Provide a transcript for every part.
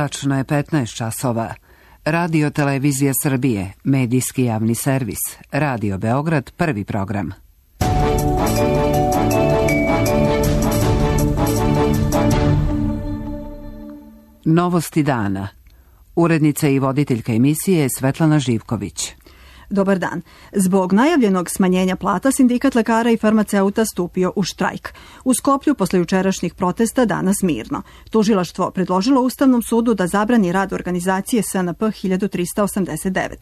Tačno je 15 časova. Radio Televizija Srbije, medijski javni servis. Radio Beograd, prvi program. Novosti dana. Urednica i voditeljka emisije Svetlana Živković. Dobar dan. Zbog najavljenog smanjenja plata, sindikat lekara i farmaceuta stupio u štrajk. U Skoplju posle jučerašnjih protesta danas mirno. Tužilaštvo predložilo Ustavnom sudu da zabrani rad organizacije SNP 1389.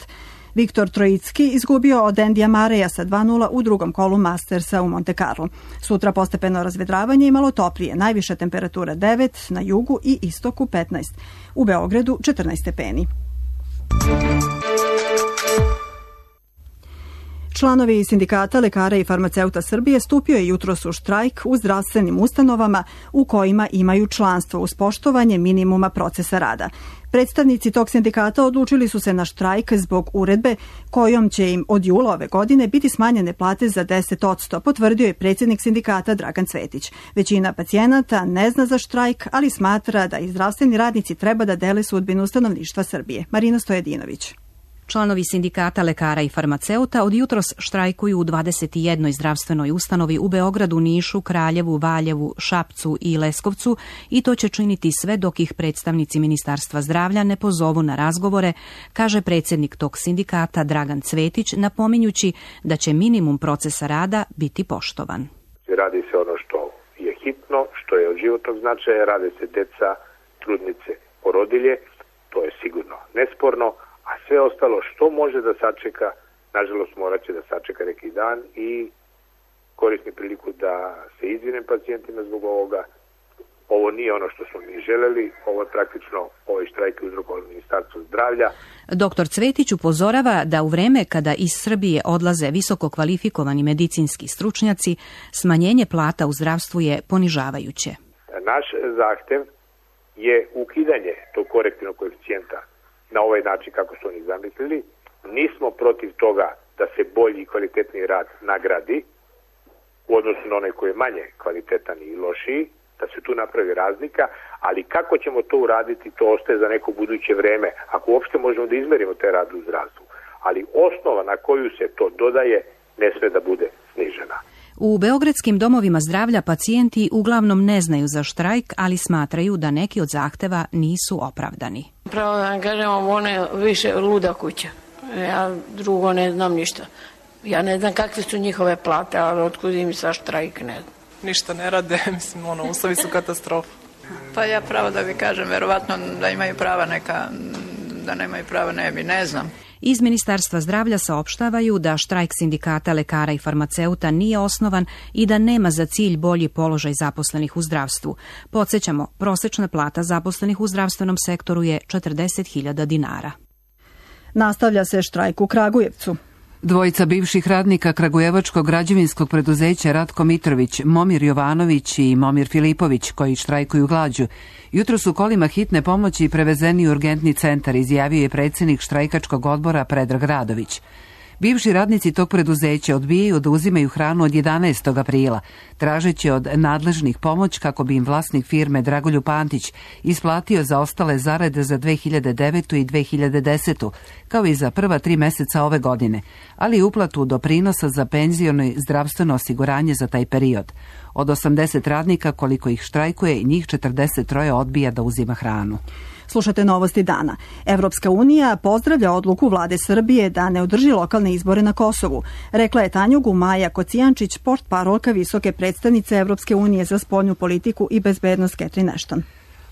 Viktor Trojicki izgubio od Endija Mareja sa 2:0 u drugom kolu Mastersa u Monte Carlo. Sutra postepeno razvedravanje i malo toplije. Najviša temperatura 9, na jugu i istoku 15. U Beogradu 14 stepeni. Članovi sindikata lekara i farmaceuta Srbije stupio je jutros u štrajk u zdravstvenim ustanovama u kojima imaju članstvo uz poštovanje minimuma procesa rada. Predstavnici tog sindikata odlučili su se na štrajk zbog uredbe kojom će im od jula ove godine biti smanjene plate za 10%, potvrdio je predsjednik sindikata Dragan Cvetić. Većina pacijenata ne zna za štrajk, ali smatra da i zdravstveni radnici treba da dele sudbinu stanovništva Srbije. Marina Stojedinović. Članovi sindikata lekara i farmaceuta od jutros štrajkuju u 21. zdravstvenoj ustanovi u Beogradu, Nišu, Kraljevu, Valjevu, Šapcu i Leskovcu i to će činiti sve dok ih predstavnici Ministarstva zdravlja ne pozovu na razgovore, kaže predsjednik tog sindikata Dragan Cvetić, napominjući da će minimum procesa rada biti poštovan. Radi se ono što je hitno, što je od životnog značaja, rade se deca, trudnice, porodilje, to je sigurno nesporno. A sve ostalo što može da sačeka, nažalost morat će da sačeka neki dan i koristim priliku da se izvinem pacijentima zbog ovoga. Ovo nije ono što smo mi želeli, ovo je praktično ovaj štrajk uzrokovao Ministarstvo zdravlja. Doktor Cvetić upozorava da u vreme kada iz Srbije odlaze visoko kvalifikovani medicinski stručnjaci, smanjenje plata u zdravstvu je ponižavajuće. Naš zahtev je ukidanje tog korektivnog koeficijenta na ovaj način kako su oni zamislili. Nismo protiv toga da se bolji i kvalitetniji rad nagradi u odnosu na onaj koji je manje kvalitetan i lošiji, da se tu napravi razlika, ali kako ćemo to uraditi, to ostaje za neko buduće vreme, ako uopšte možemo da izmerimo te rade u zdravstvu. Ali osnova na koju se to dodaje ne sme da bude snižena. U beogradskim domovima zdravlja pacijenti uglavnom ne znaju za štrajk, ali smatraju da neki od zahteva nisu opravdani. Pravo da vam kažem, ovo je više luda kuća. Ja drugo ne znam ništa. Ja ne znam kakve su njihove plate, ali otkud im sa štrajk ne znam. Ništa ne rade, mislim, uslovi su katastrofa. Pa ja pravo da bi kažem, verovatno da imaju prava neka, da nemaju prava ne bi, ne znam. Iz Ministarstva zdravlja saopštavaju da štrajk sindikata lekara i farmaceuta nije osnovan i da nema za cilj bolji položaj zaposlenih u zdravstvu. Podsjećamo, prosečna plata zaposlenih u zdravstvenom sektoru je 40.000 dinara. Nastavlja se štrajk u Kragujevcu. Dvojica bivših radnika kragujevačkog građevinskog preduzeća Ratko Mitrović, Momir Jovanović i Momir Filipović, koji štrajkuju glađu, jutro su kolima hitne pomoći prevezeni u urgentni centar, izjavio je predsjednik štrajkačkog odbora Predrag Radović. Bivši radnici tog preduzeća odbijaju da uzimaju hranu od 11. aprila, tražeći od nadležnih pomoć kako bi im vlasnik firme Dragoljub Pantić isplatio zaostale zarade za 2009. i 2010. kao i za prva 3 meseca ove godine, ali i uplatu doprinosa za penziono i zdravstveno osiguranje za taj period. Od 80 radnika koliko ih štrajkuje, njih 43 odbija da uzima hranu. Slušate novosti dana. Evropska unija pozdravlja odluku vlade Srbije da ne održi lokalne izbore na Kosovu. Rekla je Tanjugu Maja Kocijančić, portparolka visoke predstavnice Evropske unije za spoljnu politiku i bezbednost Catherine Ashton.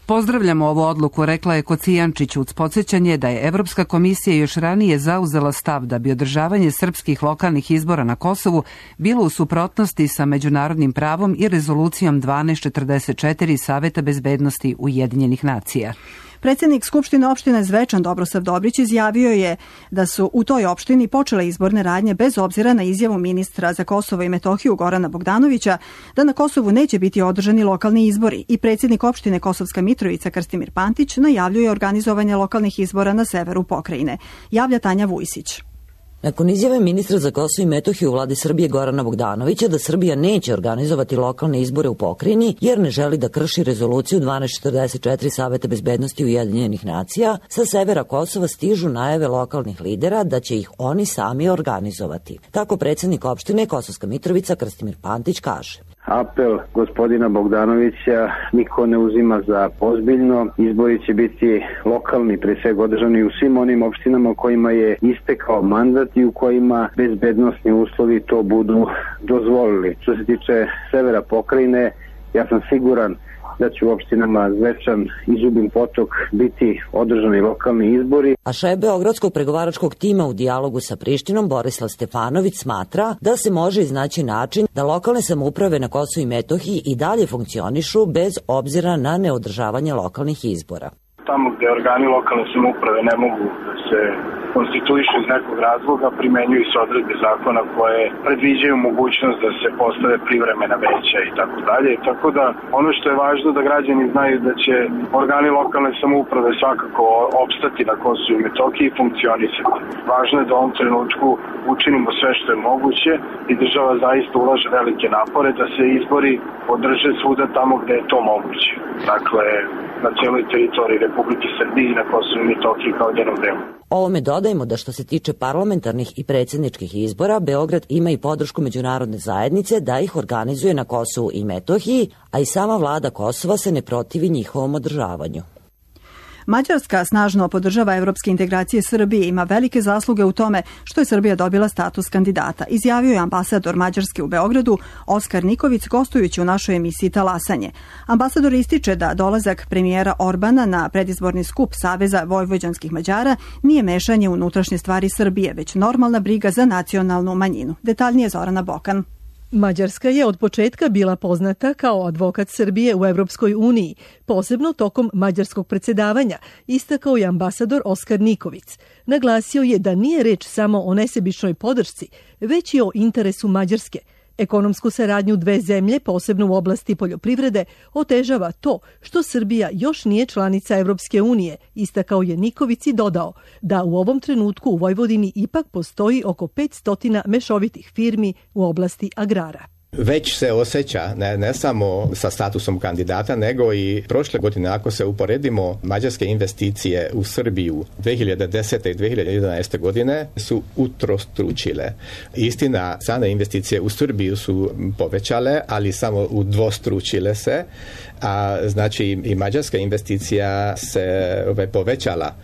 Pozdravljamo ovu odluku, rekla je Kocijančić uz podsjećanje da je Evropska komisija još ranije zauzela stav da bi održavanje srpskih lokalnih izbora na Kosovu bilo u suprotnosti sa međunarodnim pravom i rezolucijom 1244 Saveta bezbednosti Ujedinjenih nacija. Predsjednik Skupštine opštine Zvečan Dobrosav Dobrić izjavio je da su u toj opštini počele izborne radnje bez obzira na izjavu ministra za Kosovo i Metohiju Gorana Bogdanovića da na Kosovu neće biti održani lokalni izbori i predsjednik opštine Kosovska Mitrovica Krstimir Pantić najavljuje organizovanje lokalnih izbora na severu pokrajine. Javlja Tanja Vujsić. Nakon izjave ministra za Kosovo i Metohiju u vladi Srbije Gorana Bogdanovića da Srbija neće organizovati lokalne izbore u pokrajini jer ne želi da krši rezoluciju 1244 Saveta bezbednosti Ujedinjenih nacija, sa severa Kosova stižu najave lokalnih lidera da će ih oni sami organizovati. Tako predsjednik opštine Kosovska Mitrovica Krstimir Pantić kaže. Apel gospodina Bogdanovića niko ne uzima za ozbiljno. Izbori će biti lokalni, pre svega održani u svim onim opštinama kojima je istekao mandat i u kojima bezbednosni uslovi to budu dozvolili. Što se tiče severa pokrajine, ja sam siguran da će u opštinama Zvečan i Zubin Potok biti održani lokalni izbori. A šef beogradskog pregovaračkog tima u dijalogu sa Prištinom Borislav Stefanović smatra da se može iznaći način da lokalne samouprave na Kosovu i Metohiji i dalje funkcionišu bez obzira na neodržavanje lokalnih izbora. Tamo gde organi lokalne samouprave ne mogu da se konstituišu iz nekog razloga, primenjuju se odredbe zakona koje predviđaju mogućnost da se postave privremena veća i tako dalje. Tako da ono što je važno da građani znaju da će organi lokalne samouprave svakako opstati na Kosovu i Metohiji i funkcionisati. Važno je da u ovom trenutku učinimo sve što je moguće i država zaista ulaže velike napore da se izbori održe svuda tamo gde je to moguće. Dakle, na cijeloj teritoriji Republike Srbije i na Kosovu i Metohiji kao njenom delu. Ovome dodajemo da što se tiče parlamentarnih i predsjedničkih izbora, Beograd ima i podršku međunarodne zajednice da ih organizuje na Kosovu i Metohiji, a i sama vlada Kosova se ne protivi njihovom održavanju. Mađarska snažno podržava evropske integracije Srbije i ima velike zasluge u tome što je Srbija dobila status kandidata, izjavio je ambasador Mađarske u Beogradu Oskar Niković gostujući u našoj emisiji Talasanje. Ambasador ističe da dolazak premijera Orbana na predizborni skup Saveza vojvođanskih Mađara nije mešanje u unutrašnje stvari Srbije, već normalna briga za nacionalnu manjinu. Detaljnije Zorana Bokan. Mađarska je od početka bila poznata kao advokat Srbije u Evropskoj uniji, posebno tokom mađarskog predsjedavanja, istakao je ambasador Oskar Niković. Naglasio je da nije reč samo o nesebičnoj podršci, već i o interesu Mađarske. Ekonomsku saradnju dve zemlje, posebno u oblasti poljoprivrede, otežava to što Srbija još nije članica Evropske unije, istakao je Niković i dodao da u ovom trenutku u Vojvodini ipak postoji oko 500 mešovitih firmi u oblasti agrara. Već se osjeća ne samo sa statusom kandidata, nego i prošle godine, ako se uporedimo, mađarske investicije u Srbiju 2010. i 2011. godine su utrostručile. Istina, strane investicije u Srbiju su povećale, ali samo udvostručile se, a znači i mađarska investicija se povećala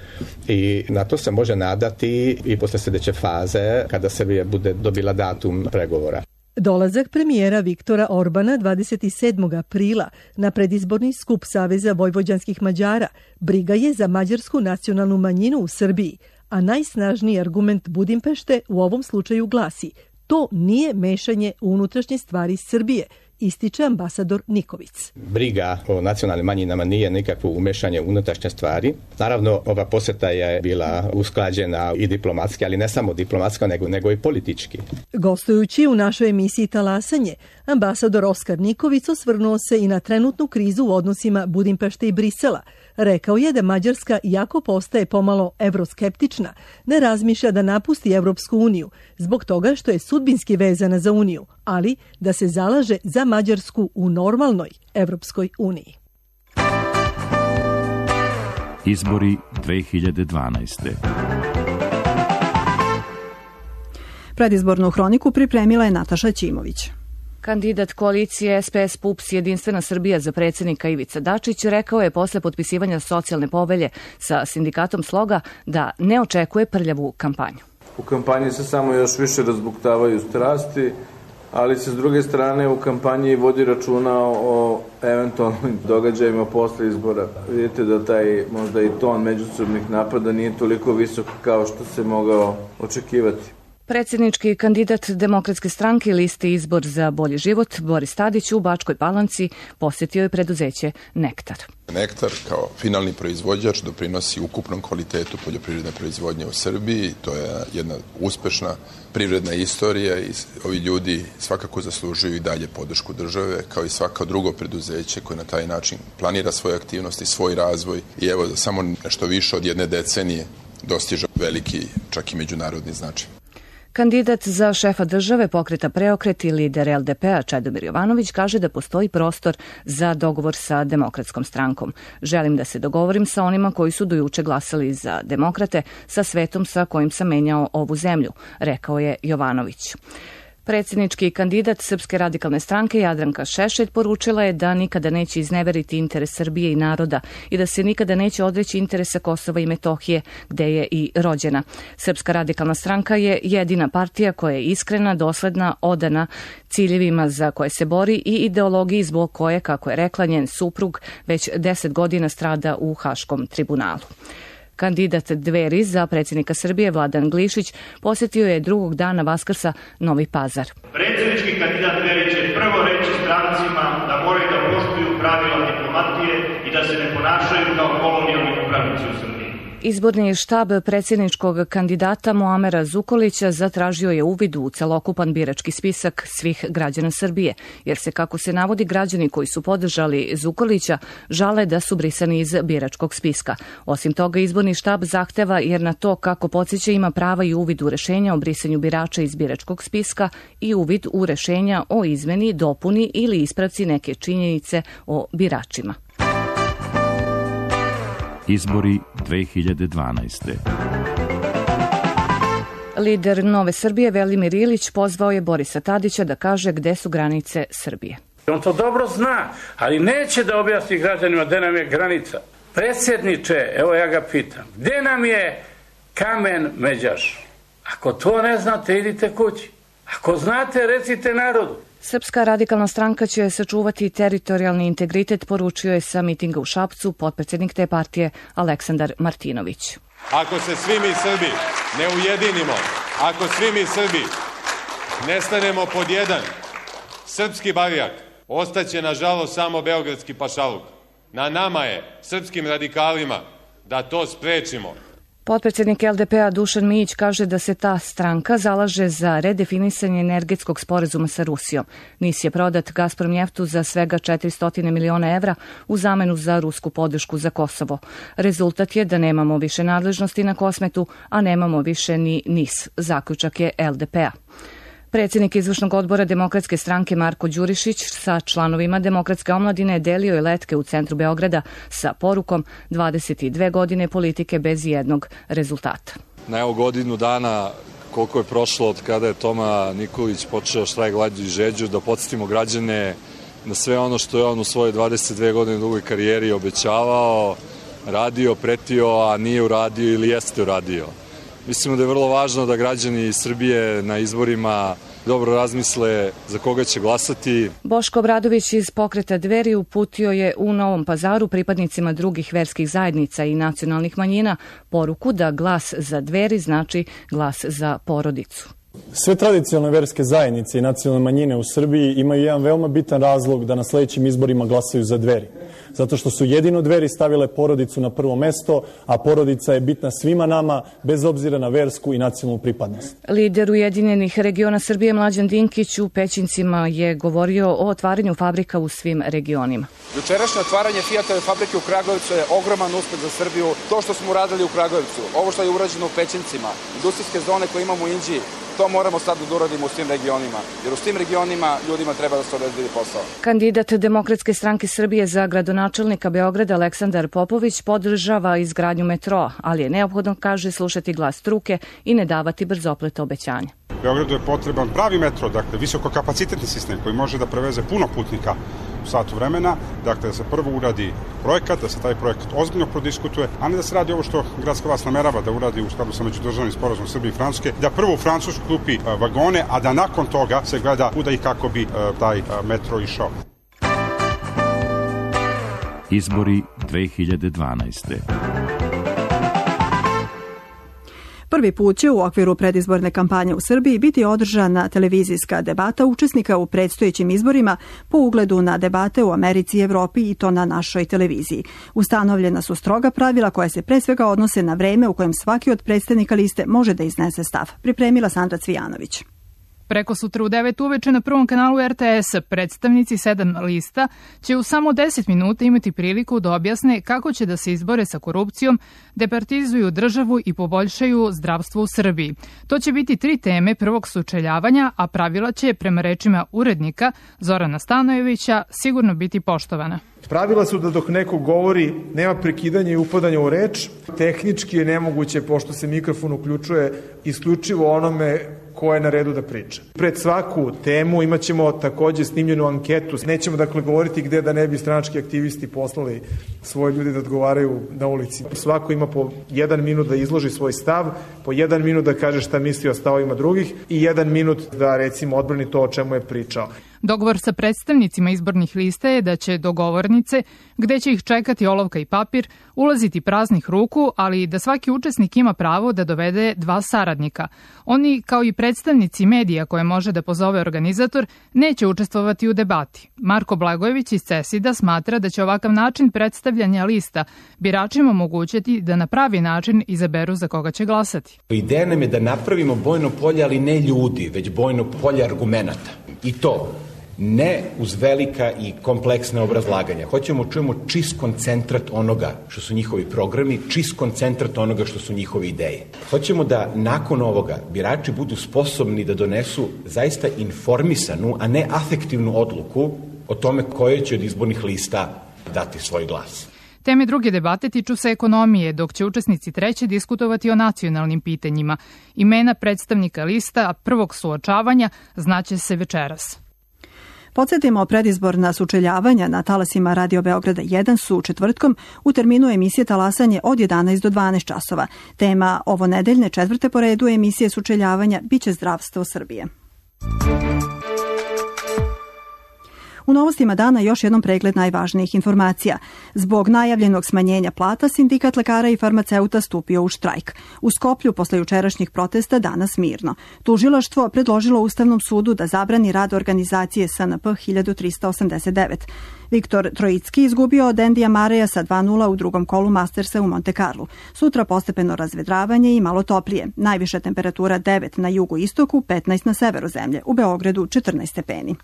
i na to se može nadati i posle sljedeće faze kada Srbija bude dobila datum pregovora. Dolazak premijera Viktora Orbana 27. aprila na predizborni skup Saveza vojvođanskih Mađara briga je za mađarsku nacionalnu manjinu u Srbiji, a najsnažniji argument Budimpešte u ovom slučaju glasi: to nije mešanje u unutrašnje stvari Srbije, ističe ambasador Niković. Briga o nacionalnim manjinama nije nikakvo umešanje u unutrašnje stvari. Naravno, ova posjeta je bila usklađena i diplomatski, ali ne samo diplomatski, nego i politički. Gostujući u našoj emisiji Talasanje, ambasador Oskar Niković osvrnuo se i na trenutnu krizu u odnosima Budimpešte i Brisela. Rekao je da Mađarska, iako postaje pomalo evroskeptična, ne razmišlja da napusti Evropsku uniju, zbog toga što je sudbinski vezana za uniju, ali da se zalaže za Mađarsku u normalnoj Evropskoj uniji. Izbori 2012. Predizbornu hroniku pripremila je Nataša Ćimović. Kandidat koalicije SPS PUPS Jedinstvena Srbija za predsjednika Ivica Dačić rekao je posle potpisivanja socijalne povelje sa sindikatom Sloga da ne očekuje prljavu kampanju. U kampanji se samo još više razbuktavaju strasti, ali se s druge strane u kampanji vodi računa o eventualnim događajima posle izbora. Vidite da taj možda i ton međusobnih napada nije toliko visok kao što se mogao očekivati. Predsjednički kandidat Demokratske stranke listi Izbor za bolji život Boris Tadić u Bačkoj Palanci posjetio je preduzeće Nektar. Nektar kao finalni proizvođač doprinosi ukupnom kvalitetu poljoprivredne proizvodnje u Srbiji. To je jedna uspešna privredna istorija i ovi ljudi svakako zaslužuju i dalje podršku države, kao i svako drugo preduzeće koje na taj način planira svoje aktivnosti, svoj razvoj i evo samo nešto više od jedne decenije dostiže veliki, čak i međunarodni značaj. Kandidat za šefa države Pokreta Preokret i lider LDP-a Čedomir Jovanović kaže da postoji prostor za dogovor sa Demokratskom strankom. Želim da se dogovorim sa onima koji su do juče glasali za demokrate, sa svetom sa kojim sam menjao ovu zemlju, rekao je Jovanović. Predsjednički kandidat Srpske radikalne stranke Jadranka Šešelj poručila je da nikada neće izneveriti interes Srbije i naroda i da se nikada neće odreći interesa Kosova i Metohije, gde je i rođena. Srpska radikalna stranka je jedina partija koja je iskrena, dosledna, odana ciljevima za koje se bori i ideologiji zbog koje, kako je rekla njen suprug, već 10 godina strada u Haškom tribunalu. Kandidat Dveri za predsjednika Srbije Vladan Glišić posjetio je drugog dana Vaskrsa Novi Pazar. Predsjednički kandidat Dveri će prvo reći strancima da moraju da poštuju pravila diplomatije i da se ne ponašaju kao kolonijalni upravnici u Srbiji. Izborni štab predsjedničkog kandidata Muamera Zukorlića zatražio je uvid u celokupan birački spisak svih građana Srbije, jer se, kako se navodi, građani koji su podržali Zukorlića žale da su brisani iz biračkog spiska. Osim toga, izborni štab zahteva, jer na to, kako podsjeća, ima prava i uvid u rešenja o brisanju birača iz biračkog spiska i uvid u rešenja o izmeni, dopuni ili ispravci neke činjenice o biračima. Izbori 2012. Lider Nove Srbije Velimir Ilić pozvao je Borisa Tadića da kaže gde su granice Srbije. On to dobro zna, ali neće da objasni građanima gde nam je granica. Predsjedniče, evo ja ga pitam, gde nam je Kamen Međaš? Ako to ne znate, idite kući. Ako znate, recite narodu. Srpska radikalna stranka će sačuvati teritorijalni integritet, poručio je sa mitinga u Šapcu potpredsjednik te partije Aleksandar Martinović. Ako se svi mi Srbi ne ujedinimo, ako svi mi Srbi ne stanemo pod jedan srpski barjak, ostaće nažalost samo beogradski pašaluk. Na nama je, srpskim radikalima, da to sprečimo. Potpredsjednik LDP-a Dušan Mijić kaže da se ta stranka zalaže za redefinisanje energetskog sporazuma sa Rusijom. NIS je prodat Gazpromnjeftu za svega 400 miliona evra u zamenu za rusku podršku za Kosovo. Rezultat je da nemamo više nadležnosti na Kosmetu, a nemamo više ni NIS, zaključak je LDP-a. Predsjednik izvršnog odbora Demokratske stranke Marko Đurišić sa članovima Demokratske omladine delio je letke u centru Beograda sa porukom 22 godine politike bez jednog rezultata. Na evo godinu dana koliko je prošlo od kada je Toma Nikolić počeo štrajk glađu i žeđu, da podsjetimo građane na sve ono što je on u svojoj 22 godine dugoj karijeri obećavao, radio, pretio, a nije uradio ili jeste uradio. Mislimo da je vrlo važno da građani Srbije na izborima dobro razmisle za koga će glasati. Boško Obradović iz Pokreta Dveri uputio je u Novom Pazaru pripadnicima drugih verskih zajednica i nacionalnih manjina poruku da glas za Dveri znači glas za porodicu. Sve tradicionalne verske zajednice i nacionalne manjine u Srbiji imaju jedan veoma bitan razlog da na sledećim izborima glasaju za Dveri. Zato što su jedino Dveri stavile porodicu na prvo mesto, a porodica je bitna svima nama, bez obzira na versku i nacionalnu pripadnost. Lider Ujedinjenih regiona Srbije Mlađan Dinkić u Pećincima je govorio o otvaranju fabrika u svim regionima. Jučerašnje otvaranje Fiatove fabrike u Kragujevcu je ogroman uspeh za Srbiju. To što smo uradili u Kragujevcu, ovo što je urađeno u Pećincima, industrijske zone koje imamo u Inđiji, to moramo sad da uradimo u svim regionima, jer u svim regionima ljudima treba da se obezbedi posao. Kandidat Demokratske stranke Srbije za gradonačelnika Beograda Aleksandar Popović podržava izgradnju metroa, ali je neophodno, kaže, slušati glas struke i ne davati brzopleta obećanja. Beogradu je potreban pravi metro, dakle visokokapacitetni sistem koji može da preveze puno putnika u satu vremena, dakle da se prvo uradi projekat, da se taj projekat ozbiljno prodiskutuje, a ne da se radi ovo što gradska vlast namerava da uradi u skladu sa međudržavnim sporazumom Srbije i Francuske, da prvo u Francusku kupi vagone, a da nakon toga se gleda kuda i kako bi taj metro išao. Izbori 2012. Prvi put će u okviru predizborne kampanje u Srbiji biti održana televizijska debata učesnika u predstojećim izborima po ugledu na debate u Americi i Evropi, i to na našoj televiziji. Ustanovljena su stroga pravila koja se pre svega odnose na vreme u kojem svaki od predstavnika liste može da iznese stav. Pripremila Sandra Cvijanović. Preko sutra u 9 uveče na prvom kanalu RTS predstavnici 7 lista će u samo 10 minuta imati priliku da objasne kako će da se izbore sa korupcijom, departizuju državu i poboljšaju zdravstvo u Srbiji. To će biti 3 teme prvog sučeljavanja, a pravila će, prema rečima urednika Zorana Stanojevića, sigurno biti poštovana. Pravila su da dok neko govori nema prekidanja i upadanja u reč. Tehnički je nemoguće, pošto se mikrofon uključuje isključivo onome ko je na redu da priča. Pred svaku temu imat ćemo takođe snimljenu anketu. Nećemo dakle govoriti gde da ne bi stranački aktivisti poslali svoje ljudi da odgovaraju na ulici. Svako ima po 1 minut da izloži svoj stav, po 1 minut da kaže šta misli o stavovima drugih i 1 minut da recimo odbrani to o čemu je pričao. Dogovor sa predstavnicima izbornih lista je da će dogovornice, gde će ih čekati olovka i papir, ulaziti praznih ruku, ali da svaki učesnik ima pravo da dovede 2 saradnika. Oni, kao i predstavnici medija koje može da pozove organizator, neće učestvovati u debati. Marko Blagojević iz CESID-a smatra da će ovakav način predstavljanja lista biračima omogućiti da na pravi način izaberu za koga će glasati. Ideja nam je da napravimo bojno polje, ali ne ljudi, već bojno polje argumenata. I to ne uz velika i kompleksna obrazlaganja. Hoćemo čujemo čist koncentrat onoga što su njihovi programi, čist koncentrat onoga što su njihove ideje. Hoćemo da nakon ovoga birači budu sposobni da donesu zaista informisanu, a ne afektivnu odluku o tome koje će od izbornih lista dati svoj glas. Teme druge debate tiču se ekonomije, dok će učesnici treće diskutovati o nacionalnim pitanjima. Imena predstavnika lista prvog suočavanja znaće se večeras. Podsjetimo, predizborna sučeljavanja na talasima Radio Beograda 1 su četvrtkom u terminu emisije Talasanje od 11 do 12 časova. Tema ovo nedeljne 4. po redu emisije sučeljavanja biće zdravstvo Srbije. U novostima dana još jednom pregled najvažnijih informacija. Zbog najavljenog smanjenja plata, sindikat lekara i farmaceuta stupio u štrajk. U Skoplju posle jučerašnjih protesta danas mirno. Tužilaštvo predložilo Ustavnom sudu da zabrani rad organizacije SNP 1389. Viktor Trojicki izgubio od Endija Mareja sa 2:0 u drugom kolu Mastersa u Monte Carlo. Sutra postepeno razvedravanje i malo toplije. Najviša temperatura 9 na jugu istoku, 15 na severu zemlje. U Beogradu 14 stepeni.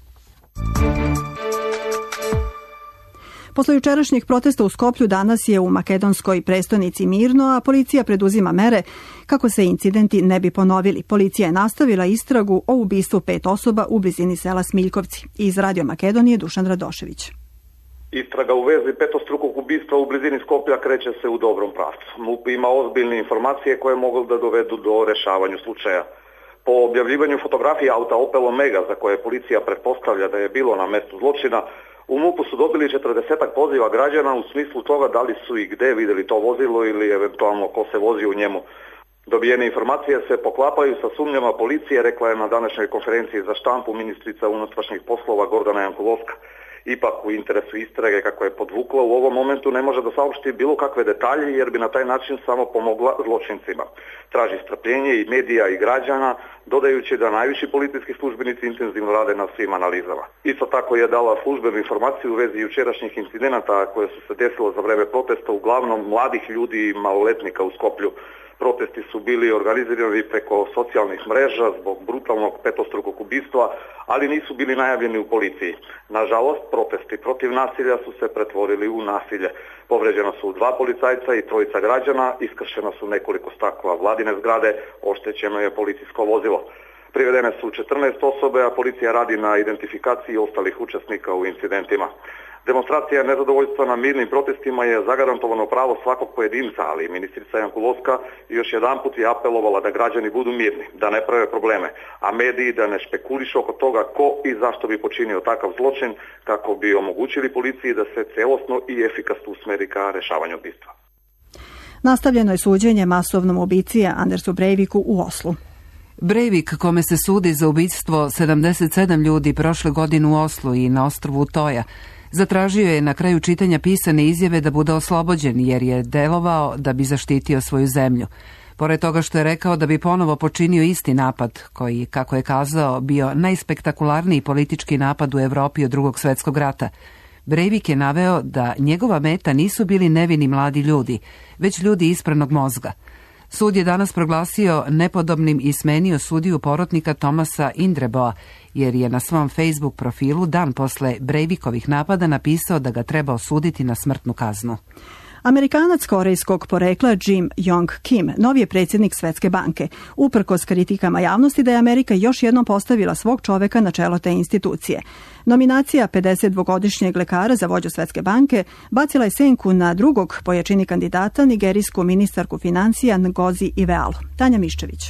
Posle jučerašnjih protesta u Skoplju danas je u makedonskoj prestonici mirno, a policija preduzima mere kako se incidenti ne bi ponovili. Policija je nastavila istragu o ubistvu 5 osoba u blizini sela Smiljkovci. Iz Radio Makedonije Dušan Radošević. Istraga u vezi petostrukog ubistva u blizini Skoplja kreće se u dobrom pravcu. MUP ima ozbiljne informacije koje mogu da dovedu do rešavanja slučaja. Po objavljivanju fotografije auta Opel Omega, za koje policija pretpostavlja da je bilo na mestu zločina, u MUP-u su dobili 40 poziva građana u smislu toga da li su i gde videli to vozilo ili eventualno ko se vozi u njemu. Dobijene informacije se poklapaju sa sumnjama policije, rekla je na današnjoj konferenciji za štampu ministrica unutrašnjih poslova Gordana Jankulovska. Ipak u interesu istrage, kako je podvukla, u ovom momentu ne može da saopšti bilo kakve detalje jer bi na taj način samo pomogla zločincima. Traži strpljenje i medija i građana, dodajući da najviši policijski službenici intenzivno rade na svim analizama. Isto tako je dala službenu informaciju u vezi jučerašnjih incidenata koje su se desilo za vreme protesta, uglavnom mladih ljudi i maloletnika u Skoplju. Protesti su bili organizirani preko socijalnih mreža zbog brutalnog petostrukog ubistva, ali nisu bili najavljeni u policiji. Nažalost, protesti protiv nasilja su se pretvorili u nasilje. Povređena su 2 policajca i 3 građana, iskršena su nekoliko stakla vladine zgrade, oštećeno je policijsko vozilo. Privedene su 14 osobe, a policija radi na identifikaciji ostalih učesnika u incidentima. Demonstracija nezadovoljstva na mirnim protestima je zagarantovano pravo svakog pojedinca, ali ministrica Jankulovska još jedanput je apelovala da građani budu mirni, da ne prave probleme, a mediji da ne špekulišu oko toga ko i zašto bi počinio takav zločin, kako bi omogućili policiji da se celosno i efikasno usmeri ka rešavanju ubistva. Nastavljeno je suđenje masovnom ubici Andersu Breiviku u Oslu. Breivik, kome se sudi za ubistvo 77 ljudi prošle godine u Oslu i na ostrvu Toja, zatražio je na kraju čitanja pisane izjave da bude oslobođen jer je delovao da bi zaštitio svoju zemlju. Pored toga što je rekao da bi ponovo počinio isti napad, koji, kako je kazao, bio najspektakularniji politički napad u Evropi od Drugog svjetskog rata, Breivik je naveo da njegova meta nisu bili nevini mladi ljudi, već ljudi ispranog mozga. Sud je danas proglasio nepodobnim i smenio sudiju porotnika Tomasa Indreboa, jer je na svom Facebook profilu dan posle Breivikovih napada napisao da ga treba osuditi na smrtnu kaznu. Amerikanac korejskog porekla Jim Yong Kim, novi je predsjednik Svetske banke, uprkos kritikama javnosti da je Amerika još jednom postavila svog čoveka na čelo te institucije. Nominacija 52-godišnjeg lekara za vođu Svetske banke bacila je senku na drugog po jačini kandidata, nigerijsku ministarku financija Ngozi Iwealu. Tanja Miščević.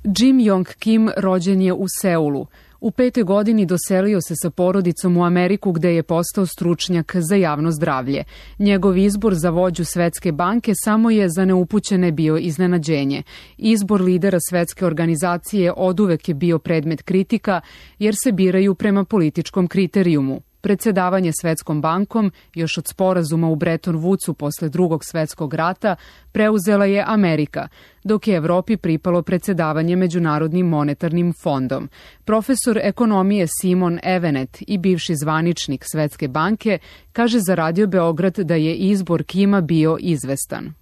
Jim Yong Kim rođen je u Seulu. U 5. godini doselio se sa porodicom u Ameriku gde je postao stručnjak za javno zdravlje. Njegov izbor za vođu Svetske banke samo je za neupućene bio iznenađenje. Izbor lidera Svetske organizacije oduvek je bio predmet kritika jer se biraju prema političkom kriterijumu. Predsedavanje Svetskom bankom, još od sporazuma u Bretton Woodsu posle Drugog svetskog rata, preuzela je Amerika, dok je Evropi pripalo predsedavanje Međunarodnim monetarnim fondom. Profesor ekonomije Simon Evenet i bivši zvaničnik Svetske banke kaže za Radio Beograd da je izbor Kima bio izvestan.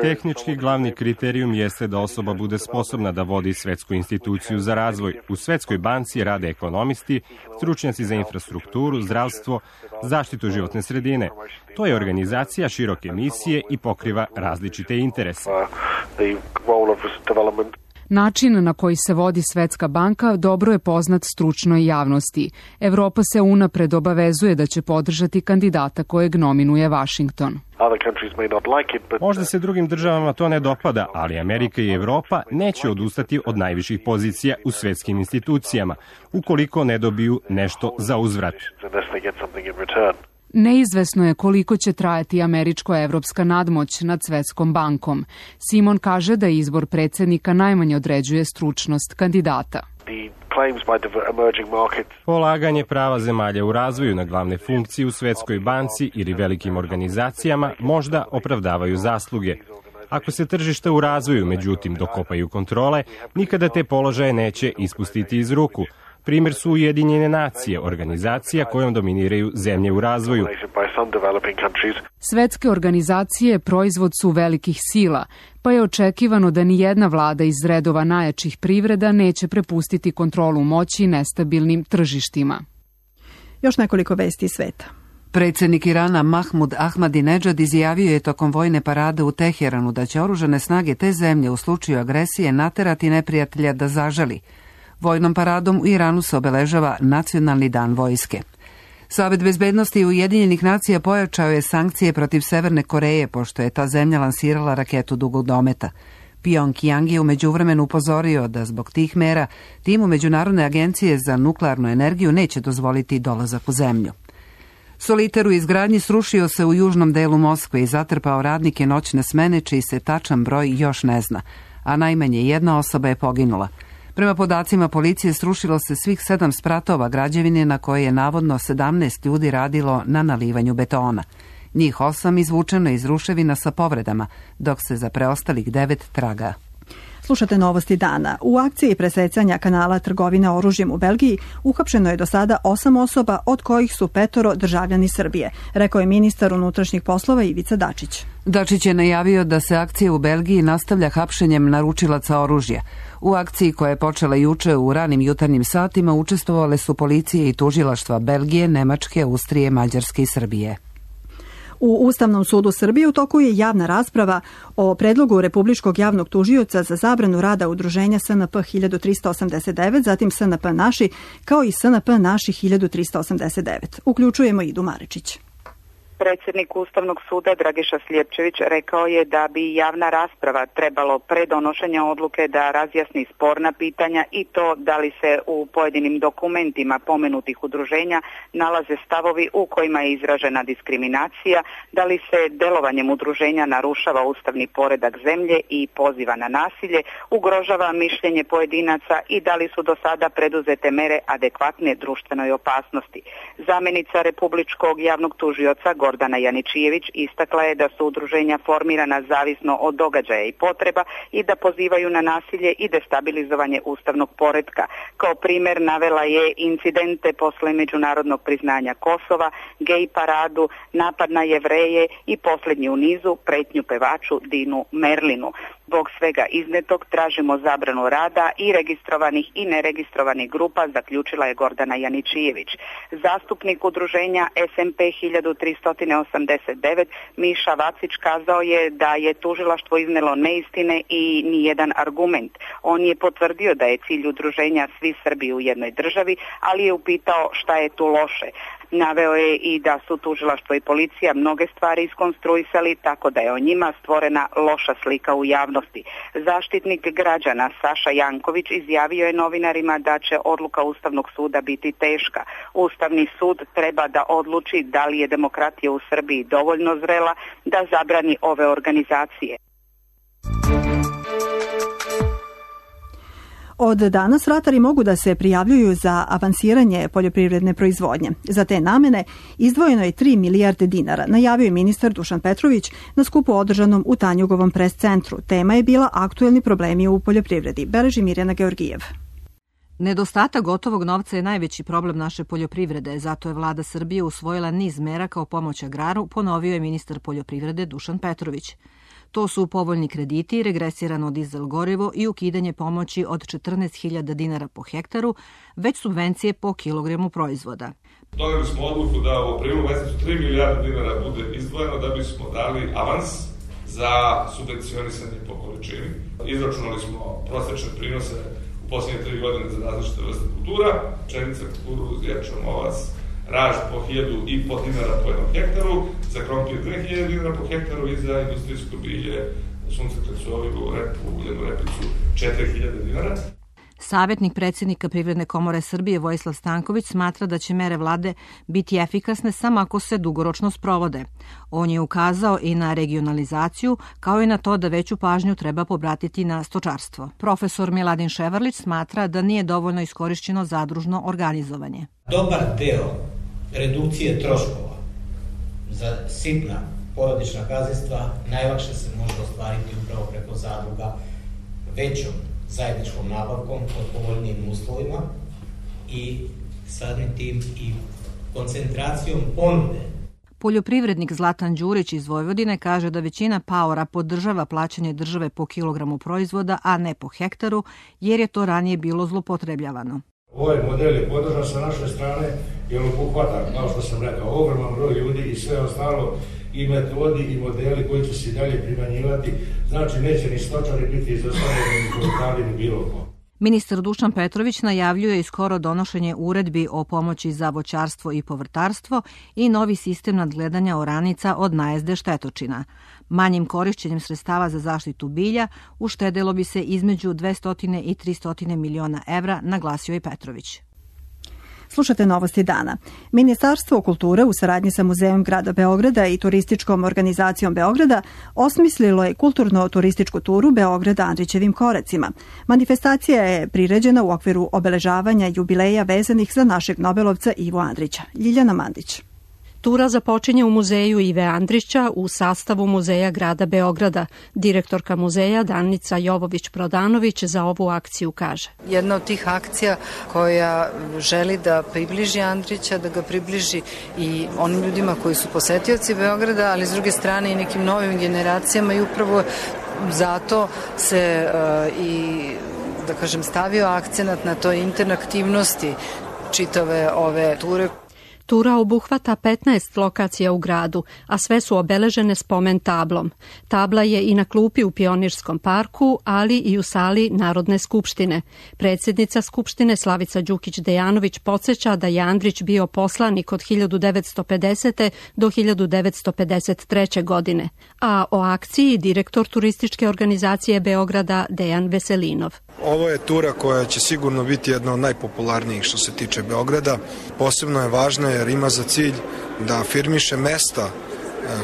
Tehnički glavni kriterijum jeste da osoba bude sposobna da vodi svetsku instituciju za razvoj. U Svetskoj banci rade ekonomisti, stručnjaci za infrastrukturu, zdravstvo, zaštitu životne sredine. To je organizacija široke misije i pokriva različite interese. Način na koji se vodi Svetska banka dobro je poznat stručnoj javnosti. Evropa se unapred obavezuje da će podržati kandidata kojeg nominuje Vašington. Možda se drugim državama to ne dopada, ali Amerika i Evropa neće odustati od najviših pozicija u svetskim institucijama, ukoliko ne dobiju nešto za uzvrat. Neizvesno je koliko će trajati američko-evropska nadmoć nad Svetskom bankom. Simon kaže da izbor predsjednika najmanje određuje stručnost kandidata. Polaganje prava zemalja u razvoju na glavne funkcije u Svetskoj banci ili velikim organizacijama možda opravdavaju zasluge. Ako se tržišta u razvoju, međutim, dokopaju kontrole, nikada te položaje neće ispustiti iz ruku. Primjer su Ujedinjene nacije, organizacija kojom dominiraju zemlje u razvoju. Svetske organizacije proizvod su velikih sila, pa je očekivano da ni jedna vlada iz redova najjačih privreda neće prepustiti kontrolu moći nestabilnim tržištima. Još nekoliko vesti iz sveta. Predsjednik Irana Mahmud Ahmadinedžad izjavio je tokom vojne parade u Teheranu da će oružane snage te zemlje u slučaju agresije naterati neprijatelja da zažali. Vojnom paradom u Iranu se obeležava Nacionalni dan vojske. Savet bezbednosti Ujedinjenih nacija pojačao je sankcije protiv Severne Koreje, pošto je ta zemlja lansirala raketu dugog dometa. Pjongjang je u međuvremenu upozorio da zbog tih mera timu Međunarodne agencije za nuklearnu energiju neće dozvoliti dolazak u zemlju. Soliter u izgradnji srušio se u južnom delu Moskve i zatrpao radnike noćne smene, čiji se tačan broj još ne zna, a najmanje jedna osoba je poginula. Prema podacima policije srušilo se svih 7 spratova građevine na koje je navodno 17 ljudi radilo na nalivanju betona. Njih 8 izvučeno iz ruševina sa povredama, dok se za preostalih 9 traga. Slušate novosti dana. U akciji presecanja kanala trgovine oružjem u Belgiji uhapšeno je do sada 8 osoba, od kojih su 5 državljani Srbije, rekao je ministar unutrašnjih poslova Ivica Dačić. Dačić je najavio da se akcija u Belgiji nastavlja hapšenjem naručilaca oružja. U akciji koja je počela juče u ranim jutarnjim satima učestvovale su policije i tužilaštva Belgije, Nemačke, Austrije, Mađarske i Srbije. U Ustavnom sudu Srbije u toku je javna rasprava o predlogu Republičkog javnog tužioca za zabranu rada udruženja SNP 1389, zatim SNP Naši, kao i SNP Naši 1389. Uključujemo Idu Marečić. Predsjednik Ustavnog suda Dragiša Slijepčević rekao je da bi javna rasprava trebalo pre donošenja odluke da razjasni sporna pitanja i to da li se u pojedinim dokumentima pomenutih udruženja nalaze stavovi u kojima je izražena diskriminacija, da li se delovanjem udruženja narušava ustavni poredak zemlje i poziva na nasilje, ugrožava mišljenje pojedinaca i da li su do sada preduzete mere adekvatne društvenoj opasnosti. Zamjenica Republičkog javnog tužioca Gordana Janičijević istakla je da su udruženja formirana zavisno od događaja i potreba i da pozivaju na nasilje i destabilizovanje ustavnog poretka. Kao primjer navela je incidente posle međunarodnog priznanja Kosova, gej paradu, napad na Jevreje i posljednji u nizu pretnju pevaču Dinu Merlinu. Zbog svega iznetog tražimo zabranu rada i registrovanih i neregistrovanih grupa, zaključila je Gordana Janičijević. Zastupnik udruženja SMP 1389 Miša Vacić kazao je da je tužilaštvo iznelo neistine i nijedan argument. On je potvrdio da je cilj udruženja svi Srbi u jednoj državi, ali je upitao šta je tu loše. Naveo je i da su tužilaštvo i policija mnoge stvari iskonstruisali tako da je o njima stvorena loša slika u javnosti. Zaštitnik građana Saša Janković izjavio je novinarima da će odluka Ustavnog suda biti teška. Ustavni sud treba da odluči da li je demokratija u Srbiji dovoljno zrela da zabrani ove organizacije. Od danas ratari mogu da se prijavljuju za avansiranje poljoprivredne proizvodnje. Za te namene izdvojeno je 3 milijarde dinara, najavio je ministar Dušan Petrović na skupu održanom u Tanjugovom pres centru. Tema je bila aktuelni problemi u poljoprivredi. Beleži Mirjana Georgijev. Nedostatak gotovog novca je najveći problem naše poljoprivrede, zato je vlada Srbije usvojila niz mera kao pomoć agraru, ponovio je ministar poljoprivrede Dušan Petrović. To su povoljni krediti, regresirano dizel gorivo i ukidanje pomoći od 14.000 dinara po hektaru, već subvencije po kilogramu proizvoda. Doneli smo odluku da u aprilu mesecu 3 milijarde dinara bude izdvojeno da bismo dali avans za subvencionisanje po količini. Izračunali smo prosečne prinose u posljednje 3 godine za različite vrste kultura, pšenica, kukuruz, ječam, ovac, raž po 1.500 dinara po jednom hektaru, za krompir 2.000 dinara po hektaru i za industrijsko bilje, suncokret, olivu, repu, uljenu repicu 4.000 dinara. Savjetnik predsjednika Privredne komore Srbije Vojislav Stanković smatra da će mere vlade biti efikasne samo ako se dugoročno sprovode. On je ukazao i na regionalizaciju, kao i na to da veću pažnju treba pobratiti na stočarstvo. Profesor Miladin Ševarlić smatra da nije dovoljno iskorišćeno zadružno organizovanje. Dobar deo redukcije troškova za sitna porodična gazdinstva najlakše se može ostvariti upravo preko zadruga većom zajedničkom nabavkom pod povoljnijim uslovima i samim tim i koncentracijom ponude. Poljoprivrednik Zlatan Đurić iz Vojvodine kaže da većina paora podržava plaćanje države po kilogramu proizvoda, a ne po hektaru, jer je to ranije bilo zlopotrebljavano. Ovaj model je podržan sa naše strane jer obuhvata, kao što sam rekao, ogroman broj ljudi i sve ostalo i metodi i modeli koji će se i dalje primanjivati. Znači, neće ni stočari biti izostavljeni, ni poljoprivredni, ni bilo ko. Ministar Dušan Petrović najavljuje i skoro donošenje uredbi o pomoći za voćarstvo i povrtarstvo i novi sistem nadgledanja oranica od najezde štetočina. Manjim korišćenjem sredstava za zaštitu bilja uštedelo bi se između 200 i 300 miliona evra, naglasio je Petrović. Slušate novosti dana. Ministarstvo kulture u saradnji sa Muzejom grada Beograda i turističkom organizacijom Beograda osmislilo je kulturno-turističku turu Beograda Andrićevim koracima. Manifestacija je priređena u okviru obeležavanja jubileja vezanih za našeg Nobelovca Ivu Andrića. Ljiljana Mandić. Tura započinje u muzeju Ive Andrića u sastavu Muzeja grada Beograda. Direktorka muzeja Danica Jovović-Prodanović za ovu akciju kaže. Jedna od tih akcija koja želi da približi Andrića, da ga približi i onim ljudima koji su posetioci Beograda, ali s druge strane i nekim novim generacijama i upravo zato se da kažem, stavio akcenat na toj interaktivnosti čitave ove ture. Tura obuhvata 15 lokacija u gradu, a sve su obeležene spomen tablom. Tabla je i na klupi u Pionirskom parku, ali i u sali Narodne skupštine. Predsjednica skupštine Slavica Đukić-Dejanović podsjeća da je Andrić bio poslanik od 1950. do 1953. godine. A o akciji direktor turističke organizacije Beograda Dejan Veselinov. Ovo je tura koja će sigurno biti jedna od najpopularnijih što se tiče Beograda. Posebno je važna jer ima za cilj da afirmiše mesta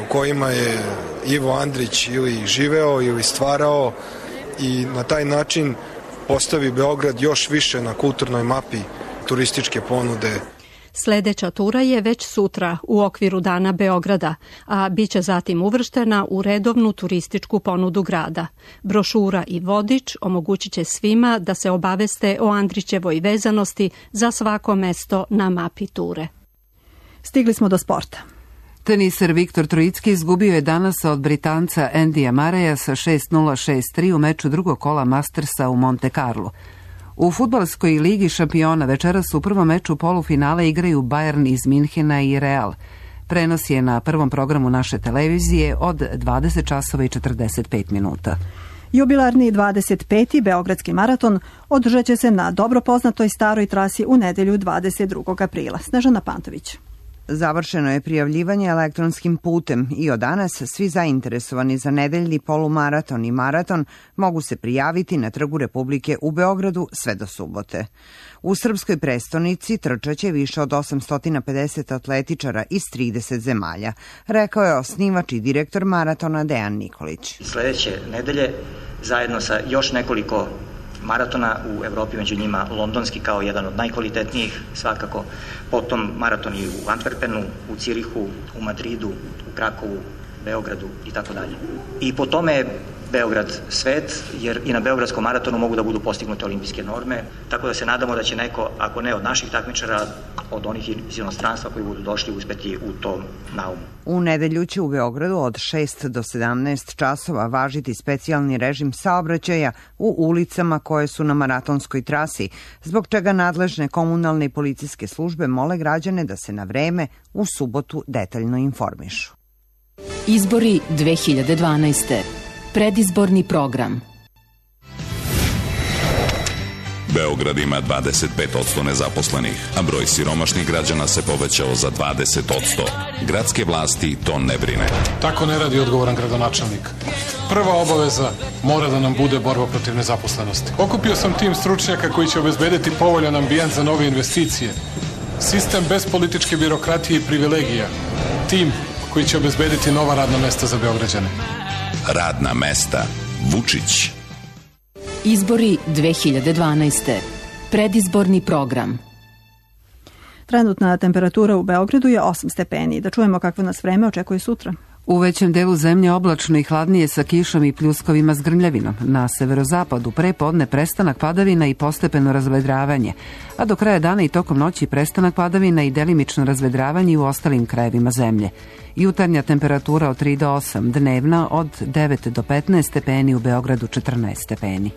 u kojima je Ivo Andrić ili živeo ili stvarao i na taj način postavi Beograd još više na kulturnoj mapi turističke ponude. Sledeća tura je već sutra u okviru Dana Beograda, a bit će zatim uvrštena u redovnu turističku ponudu grada. Brošura i vodič omogućit će svima da se obaveste o Andrićevoj vezanosti za svako mesto na mapi ture. Stigli smo do sporta. Teniser Viktor Trojicki izgubio je danas od Britanca Andyja Murraya sa 6-0, 6-3 u meču drugog kola Mastersa u Monte Carlo. U fudbalskoj ligi šampiona večeras u prvom meču polufinale igraju Bayern iz Minhena i Real. Prenos je na prvom programu naše televizije od 20 časova i 45 minuta. Jubilarni 25. Beogradski maraton održat će se na dobro poznatoj staroj trasi u nedelju 22. aprila. Snežana Pantović. Završeno je prijavljivanje elektronskim putem i od danas svi zainteresovani za nedeljni polumaraton i maraton mogu se prijaviti na Trgu Republike u Beogradu sve do subote. U srpskoj prestonici trčaće više od 850 atletičara iz 30 zemalja, rekao je osnivač i direktor maratona Dejan Nikolić. Sledeće nedelje zajedno sa još nekoliko maratona u Evropi, među njima londonski kao jedan od najkvalitetnijih, svakako, potom maratoni u Antwerpenu, u Cirihu, u Madridu, u Krakovu, Beogradu i tako dalje. I po tome je Beograd svet, jer i na Beogradskom maratonu mogu da budu postignute olimpijske norme, tako da se nadamo da će neko, ako ne od naših takmičara, od onih iz inostranstva koji budu došli uspeti u tom naumu. U nedelju će u Beogradu od 6 do 17 časova važiti specijalni režim saobraćaja u ulicama koje su na maratonskoj trasi, zbog čega nadležne komunalne i policijske službe mole građane da se na vreme u subotu detaljno informišu. Izbori 2012. Predizborni program. Beograd ima 25% nezaposlenih, a broj siromašnih građana se povećao za 20%. Gradske vlasti to ne brine. Tako ne radi odgovoran gradonačelnik. Prva obaveza mora da nam bude borba protiv nezaposlenosti. Okupio sam tim stručnjaka koji će obezbediti povoljan ambijent za nove investicije. Sistem bez političke birokratije i privilegija. Tim koji će obezbediti nova radna mesta za Beograđane. Radna mesta. Vučić. Izbori 2012. Predizborni program. Trenutna temperatura u Beogradu je 8 stepeni. Da čujemo kakvo nas vreme očekuje sutra. U većem delu zemlje oblačno i hladnije sa kišom i pljuskovima s grmljavinom. Na severozapadu pre podne prestanak padavina i postepeno razvedravanje, a do kraja dana i tokom noći prestanak padavina i delimično razvedravanje u ostalim krajevima zemlje. Jutarnja temperatura od 3 do 8, dnevna od 9 do 15 stepeni, u Beogradu 14 stepeni.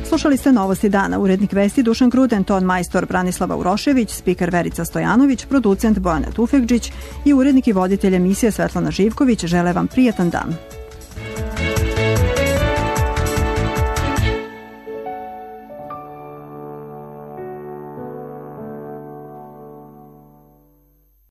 Slušali ste Novosti dana. Urednik vesti Dušan Gruden, ton majstor Branislava Urošević, spiker Verica Stojanović, producent Bojana Tufekđić i urednik i voditelj emisije Svetlana Živković žele vam prijatan dan.